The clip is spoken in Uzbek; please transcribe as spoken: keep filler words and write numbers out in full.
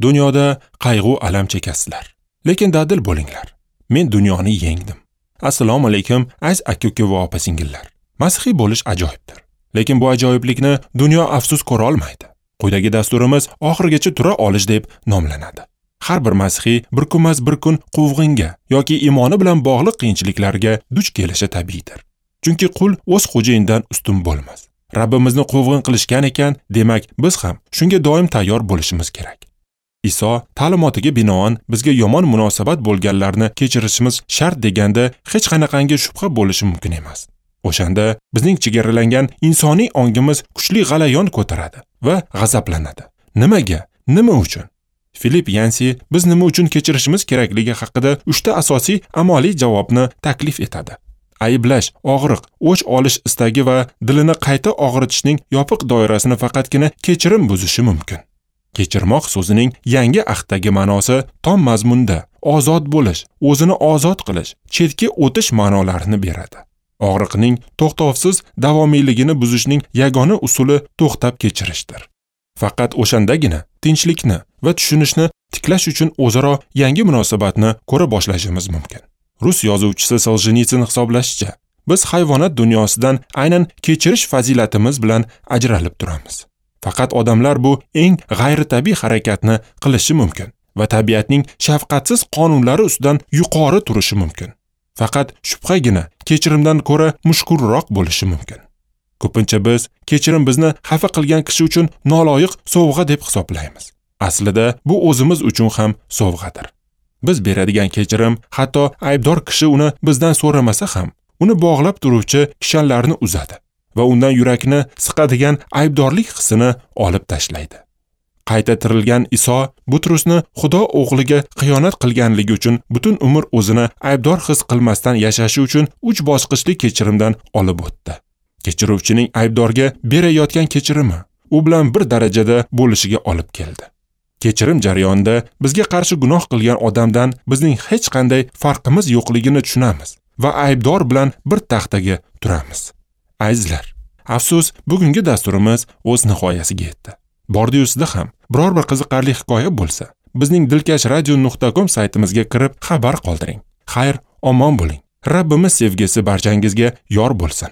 Dunyoda qayg'u alam chekasizlar, lekin dadil bo'linglar. Men dunyoni yengdim. Assalomu alaykum, aziz aka-uka va opa-singillar. Masihiy bo'lish ajoyibdir. Lekin bu ajoyiblikni dunyo afsus ko'ra olmaydi. Quyidagi dasturimiz oxirigacha tura olish deb nomlanadi. Har bir masihiy bir kunmas bir kun quvg'inga yoki iymoni bilan bog'liq qiyinchiliklarga duch kelishi tabiiydir. Chunki qul o'z xo'jayinidan ustun bo'lmas. Rabbimizni quvg'in qilishgan ekan, demak biz ham shunga doim tayyor bo'lishimiz kerak. Iso ta'limotiga binoan bizga yomon munosabat bo'lganlarni kechirishimiz shart deganda hech qanaqangi shubha bo'lishi mumkin emas. O'shanda bizning chegaralangan insoniy ongimiz kuchli g'alayon ko'taradi va g'azablanadi. Nimaga? Nima uchun? Filip Yansi biz nima uchun kechirishimiz kerakligi haqida uchta asosiy amaliy javobni taklif etadi. Ayblash, og'riq, o'ch olish istagi va dilini qayta og'ritishning yopiq doirasini faqatgina kechirim buzishi mumkin. Kechirmoq so'zining yangi ahddagi ma'nosi tom mazmunda ozod bo'lish, o'zini ozod qilish, chetga o'tish ma'nolarini beradi. Og'riqning to'xtovsiz davomiyligini buzishning yagona usuli to'xtab kechirishdir. Faqat o'shandagina tinchlikni va tushunishni tiklash uchun o'zaro yangi munosabatni ko'ra boshlashimiz mumkin. Rus yozuvchisi Soljenitsin hisoblashicha, biz hayvonot dunyosidan aynan kechirish fazilatimiz bilan ajralib turamiz. Faqat odamlar bu eng g'ayritabiiy harakatni qilishi mumkin va tabiatning shafqatsiz qonunlari ustidan yuqori turishi mumkin. Faqat shubhagina kechirimdan ko'ra mushkulroq bo'lishi mumkin. Ko'pincha biz kechirim bizni xafa qilgan kishi uchun noloyiq sovg'a deb hisoblaymiz. Aslida bu o'zimiz uchun ham sovg'adir. Biz beradigan kechirim hatto aybdor kishi uni bizdan so'ramasa ham, uni bog'lab turuvchi kishanlarni uzadi va undan yurakni siqadigan aybdorlik hissini olib tashlaydi. Qayta tirilgan Iso Butrusni Xudo o'g'liga xiyonat qilganligi uchun butun umr o'zini aybdor his qilmasdan yashashi uchun uch bosqichli kechirimdan olib o'tdi. Kechiruvchining aybdorga berayotgan kechirimi u bilan bir darajada bo'lishiga olib keldi. Kechirim jarayonida bizga qarshi gunoh qilgan odamdan bizning hech qanday farqimiz yo'qligini tushunamiz va aybdor bilan bir taxtaga turamiz. Azizlar, afsus, bugungi dasturimiz o'z nihoyasiga yetdi. Bordi-yu sizda ham biror bir qiziqarli hikoya bo'lsa, bizning dilkash radio nuqta com saytimizga kirib xabar qoldiring. Xayr, omon bo'ling. Rabbimiz sevgisi barchangizga yor bo'lsin.